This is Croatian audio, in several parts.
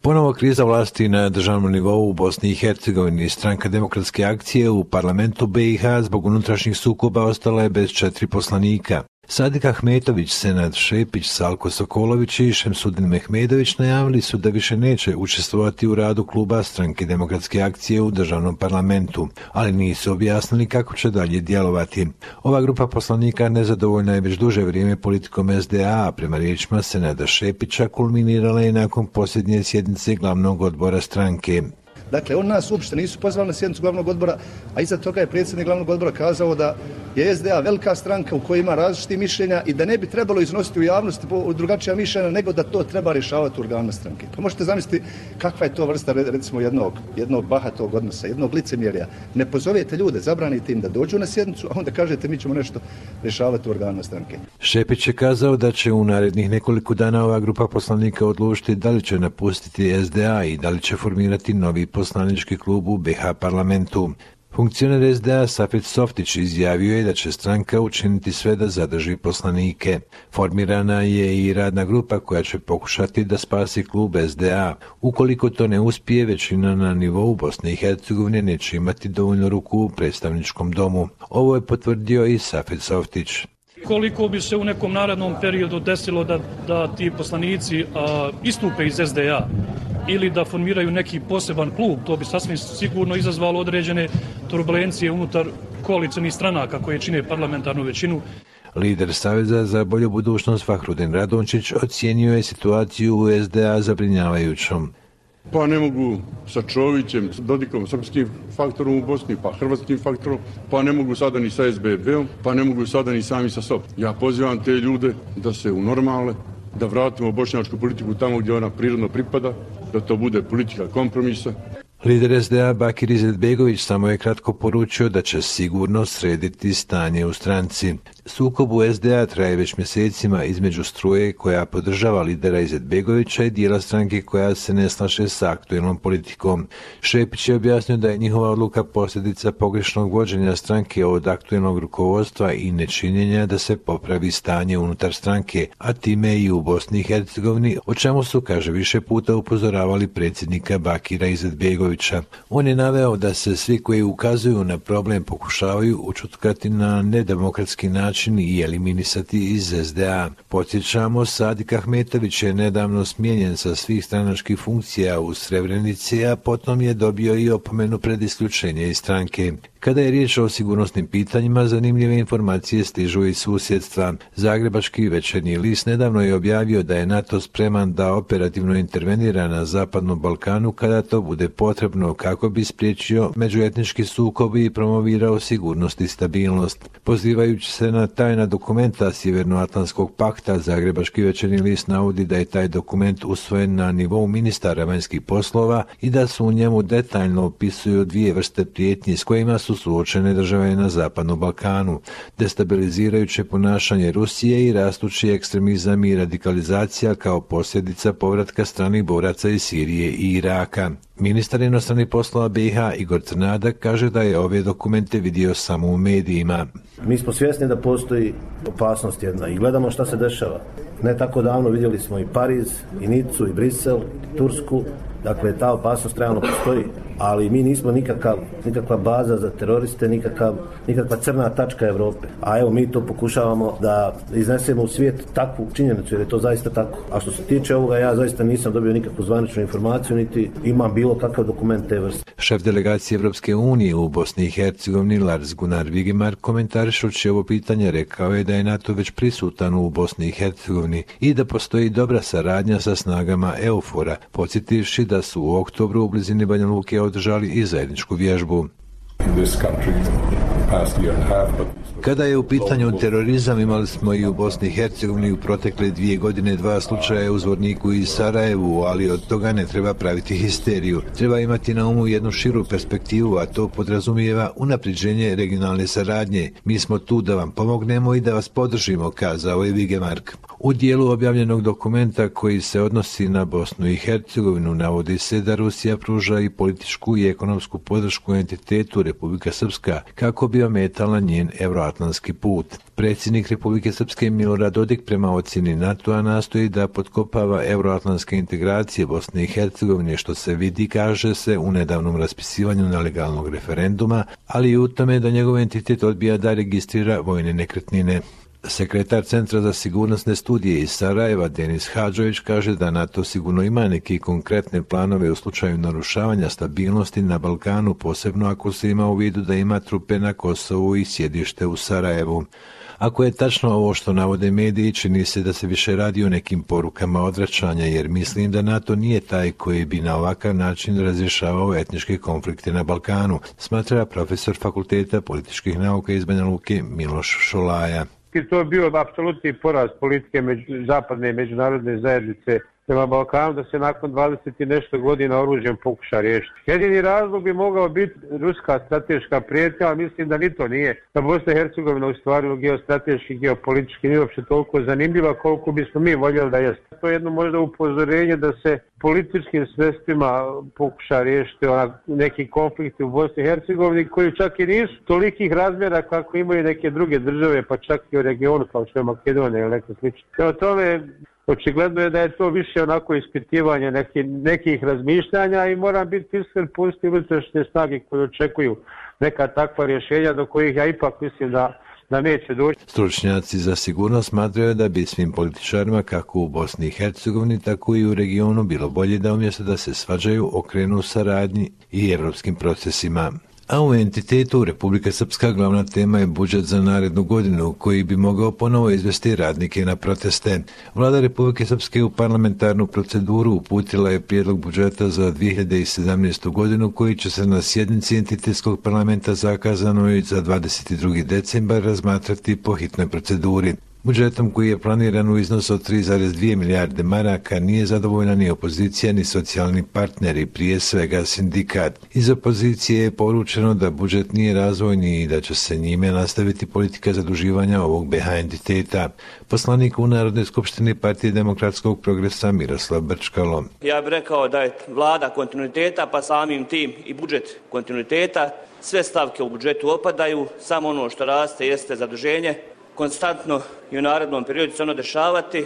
Ponovo kriza vlasti na državnom nivou u Bosni i Hercegovini. Stranka Demokratske akcije u parlamentu BiH zbog unutrašnjih sukoba ostala je bez 4 poslanika. Sadik Ahmetović, Senad Šepić, Salko Sokolović i Šemsudin Mehmedović najavili su da više neće učestvovati u radu kluba Stranke Demokratske akcije u državnom parlamentu, ali nisu objasnili kako će dalje djelovati. Ova grupa poslanika nezadovoljna je već duže vrijeme politikom SDA, a prema riječima Senada Šepića kulminirala je nakon posljednje sjednice glavnog odbora stranke. Dakle, on nas uopšte nisu pozvali na sjednicu glavnog odbora, a iza toga je predsjednik glavnog odbora kazao da je SDA velika stranka u kojoj ima različitih mišljenja i da ne bi trebalo iznositi u javnosti drugačija mišljenja, nego da to treba rješavati u organima stranke. Pa možete zamisliti kakva je to vrsta, recimo, jednog bahatog odnosa, jednog licemjerja. Ne pozovete ljude, zabranite im da dođu na sjednicu, a onda kažete mi ćemo nešto rješavati u organima stranke. Šepić je kazao da će u narednih nekoliko dana ova grupa poslanika odlučiti da li će napustiti SDA i da li će formirati novi poslanički klub u BiH parlamentu. Funkcioner SDA Safet Softić izjavio je da će stranka učiniti sve da zadrži poslanike. Formirana je i radna grupa koja će pokušati da spasi klub SDA. Ukoliko to ne uspije, većina na nivou Bosne i Hercegovine neće imati dovoljno ruku u predstavničkom domu. Ovo je potvrdio i Safet Softić. Koliko bi se u nekom narednom periodu desilo da ti poslanici istupe iz SDA ili da formiraju neki poseban klub, to bi sasvim sigurno izazvalo određene turbulencije unutar koalicionih stranaka koje čine parlamentarnu većinu. Lider Saveza za bolju budućnost Fahrudin Radončić ocijenio je situaciju u SDA zabrinjavajućom. Pa ne mogu sa Čovićem, s Dodikom, srpskim faktorom u Bosni, pa hrvatskim faktorom, pa ne mogu sada ni sa SBB-om, pa ne mogu sada ni sami sa sobom. Ja pozivam te ljude da se unormale, da vratimo bošnjačku politiku tamo gdje ona prirodno pripada, da to bude politika kompromisa. Lider SDA Bakir Izetbegović samo je kratko poručio da će sigurno srediti stanje u stranci. Sukob u SDA traje već mjesecima između struje koja podržava lidera Izetbegovića i dijela stranke koja se ne slaže s aktualnom politikom. Šepić je objasnio da je njihova odluka posljedica pogrešnog vođenja stranke od aktualnog rukovodstva i nečinjenja da se popravi stanje unutar stranke, a time i u Bosni i Hercegovini, o čemu su, kaže, više puta upozoravali predsjednika Bakira Izetbegovića. On je naveo da se svi koji ukazuju na problem pokušavaju učutkati na nedemokratski način i eliminisati iz SDA. Podsjećamo, Sadik Ahmetović je nedavno smijenjen sa svih stranačkih funkcija u Srebrenici, a potom je dobio i opomenu pred isključenje iz stranke. Kada je riječ o sigurnosnim pitanjima, zanimljive informacije stižu iz susjedstva. Zagrebački Večernji list nedavno je objavio da je NATO spreman da operativno intervenira na Zapadnom Balkanu kada to bude potrebno kako bi spriječio međuetnički sukob i promovirao sigurnost i stabilnost. Pozivajući se na tajna dokumenta Sjevernoatlantskog pakta, Zagrebački Večernji list navodi da je taj dokument usvojen na nivou ministara vanjskih poslova i da su u njemu detaljno opisuju 2 vrste prijetnji s kojima su suočene države na Zapadnom Balkanu: destabilizirajuće ponašanje Rusije i rastući ekstremizam i radikalizacija kao posljedica povratka stranih boraca iz Sirije i Iraka. Ministar inostranih poslova BiH Igor Crnadak kaže da je ove dokumente vidio samo u medijima. Mi smo svjesni da postoji opasnost jedna i gledamo šta se dešava. Ne tako davno vidjeli smo i Pariz, i Nicu, i Brisel, i Tursku. Dakle, ta opasnost realno postoji, ali mi nismo nikakva baza za teroriste, nikakva crna tačka Europe. A evo, mi to pokušavamo da iznesemo u svijet takvu činjenicu, jer je to zaista tako. A što se tiče ovoga, ja zaista nisam dobio nikakvu zvaničnu informaciju, niti imam bilo kakav dokument te vrste. Šef delegacije Evropske unije u Bosni i Hercegovini Lars Gunnar Vigemar, komentarišući ovo pitanje, rekao je da je NATO već prisutan u Bosni i Hercegovini i da postoji dobra saradnja sa snagama EUFOR-a, podsjetivši da su u oktobru u blizini Banja Luke održali i zajedničku vježbu. Kada je u pitanju terorizam, imali smo i u Bosni i Hercegovini u protekle 2 godine 2 slučaja u Zvorniku i Sarajevu, ali od toga ne treba praviti histeriju. Treba imati na umu jednu širu perspektivu, a to podrazumijeva unapređenje regionalne saradnje. Mi smo tu da vam pomognemo i da vas podržimo, kazao je Vigemark. U dijelu objavljenog dokumenta koji se odnosi na Bosnu i Hercegovinu navodi se da Rusija pruža i političku i ekonomsku podršku entitetu Republika Srpska kako bi bi ometala njen euroatlantski put. Predsjednik Republike Srpske Milorad Dodik prema ocjeni NATO-a nastoji da potkopava euroatlantske integracije Bosne i Hercegovine, što se vidi, kaže se, u nedavnom raspisivanju nelegalnog referenduma, ali i u tome da njegov entitet odbija da registrira vojne nekretnine. Sekretar Centra za sigurnosne studije iz Sarajeva, Denis Hadžović, kaže da NATO sigurno ima neke konkretne planove u slučaju narušavanja stabilnosti na Balkanu, posebno ako se ima u vidu da ima trupe na Kosovu i sjedište u Sarajevu. Ako je tačno ovo što navode mediji, čini se da se više radi o nekim porukama odvraćanja, jer mislim da NATO nije taj koji bi na ovakav način razrješavao etničke konflikte na Balkanu, smatra profesor Fakulteta političkih nauka iz Banja Luke Miloš Šolaja. To je bio apsolutni poraz politike zapadne i međunarodne zajednice prema Balkanu, da se nakon 20 i nešto godina oružjem pokuša riješiti. Jedini razlog bi mogao biti ruska strateška prijetnja, ali mislim da ni to nije. Da Bosna i Hercegovina u stvari geostrateški, geopolitički nije uopće toliko zanimljiva koliko bismo mi voljeli da jeste. To je jedno možda upozorenje da se političkim sredstvima pokuša riješiti neki konflikti u Bosni i Hercegovini koji čak i nisu tolikih razmjera kako imaju neke druge države, pa čak i u regionu kao što je Makedonija ili neko slično. Prema tome, očigledno je da je to više onako ispitivanje nekih razmišljanja i moram biti iskren, postoji unutrašnje snage koje očekuju neka takva rješenja do kojih ja ipak mislim da neće doći. Stručnjaci za sigurnost smatraju da bi svim političarima kako u Bosni i Hercegovini tako i u regionu bilo bolje da umjesto da se svađaju okrenu saradnji i evropskim procesima. A u entitetu Republika Srpska glavna tema je budžet za narednu godinu koji bi mogao ponovo izvesti radnike na proteste. Vlada Republike Srpske u parlamentarnu proceduru uputila je prijedlog budžeta za 2017. godinu koji će se na sjednici entitetskog parlamenta zakazanoj za 22. decembar razmatrati po hitnoj proceduri. Budžetom koji je planiran u iznosu od 3,2 milijarde maraka nije zadovoljna ni opozicija ni socijalni partneri, prije svega sindikat. Iz opozicije je poručeno da budžet nije razvojni i da će se njime nastaviti politika zaduživanja ovog BH entiteta. Poslanik u Narodnoj skupštini Partije demokratskog progresa Miroslav Brčkalo. Ja bih rekao da je vlada kontinuiteta, pa samim tim i budžet kontinuiteta. Sve stavke u budžetu opadaju, samo ono što raste jeste zaduženje. Konstantno i u narednom periodu će se ono dešavati,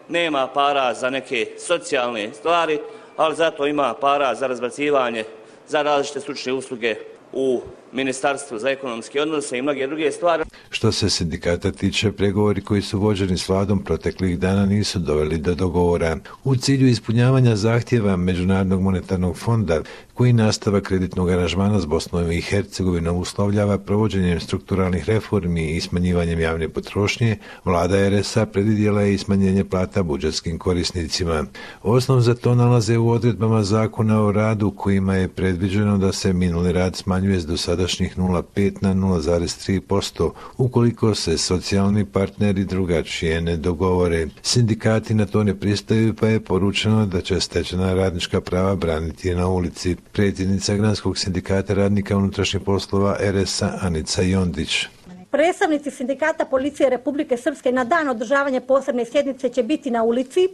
nema para za neke socijalne stvari, ali zato ima para za razbacivanje, za različite stručne usluge u Ministarstvu za ekonomske odnose i mnoge druge stvari. Što se sindikata tiče, pregovori koji su vođeni s vladom proteklih dana nisu doveli do dogovora. U cilju ispunjavanja zahtjeva Međunarodnog monetarnog fonda, koji nastava kreditnog aranžmana s Bosnom i Hercegovinom uslovljava provođenjem strukturalnih reformi i smanjivanjem javne potrošnje, vlada RS-a predvidjela je i smanjenje plata budžetskim korisnicima. Osnov za to nalaze u odredbama Zakona o radu kojima je predviđeno da se minuli rad smanjuje s dosadašnjih 0,5 na 0,3% ukoliko se socijalni partneri drugačije ne dogovore. Sindikati na to ne pristaju, pa je poručeno da će stečena radnička prava braniti na ulici. Predsjednica Granskog sindikata radnika unutrašnjih poslova RS-a Anica Jondić. Predstavnici sindikata policije Republike Srpske na dan održavanja posebne sjednice će biti na ulici,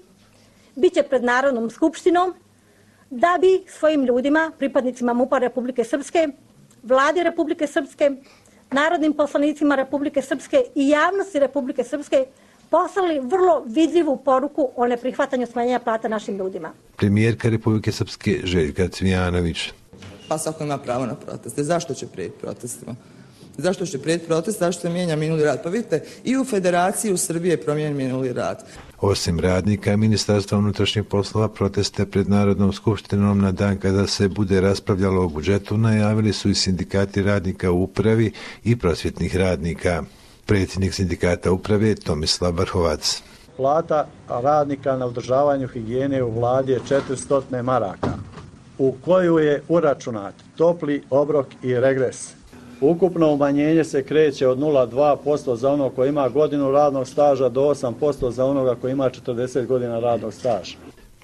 bit će pred Narodnom skupštinom, da bi svojim ljudima, pripadnicima MUP-a Republike Srpske, Vladi Republike Srpske, narodnim poslanicima Republike Srpske i javnosti Republike Srpske poslali vrlo vidljivu poruku o neprihvatanju smanjenja plata našim ljudima. Premijerka Republike Srpske Željka Cvijanović. Pa svako ima pravo na proteste. Zašto će prijeti protestima? Zašto će prijeti protest? Zašto se mijenja minuli rad? Pa vidite, i u Federaciji u Srbiji je promijenjen minuli rad. Osim radnika Ministarstva unutrašnjih poslova, proteste pred Narodnom skupštinom na dan kada se bude raspravljalo o budžetu najavili su i sindikati radnika u upravi i prosvjetnih radnika. Predsjednik sindikata uprave Tomislav Vrhovac. Plata radnika na održavanju higijene u vladi je 400 maraka, u koju je uračunat topli obrok i regres. Ukupno umanjenje se kreće od 0,2% za onog koji ima godinu radnog staža do 8% za onoga koji ima 40 godina radnog staža.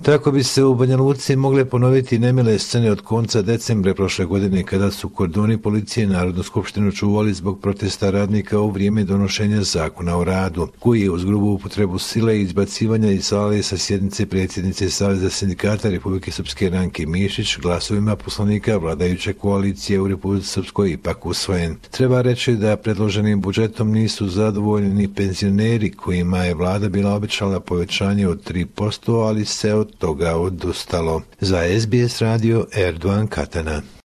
Tako bi se u Banja Luci mogle ponoviti nemile scene od konca decembra prošle godine kada su kordoni policije Narodnu skupštinu čuvali zbog protesta radnika u vrijeme donošenja zakona o radu, koji je uz grubu upotrebu sile i izbacivanja iz sale sa sjednice predsjednice Saveza sindikata Republike Srpske Ranke Mišić glasovima poslanika vladajuće koalicije u Republici Srpskoj ipak usvojen. Treba reći da predloženim budžetom nisu zadovoljni ni penzioneri kojima je vlada bila obećala povećanje od 3%, ali se od toga odustalo. Za SBS radio Erdogan Katana.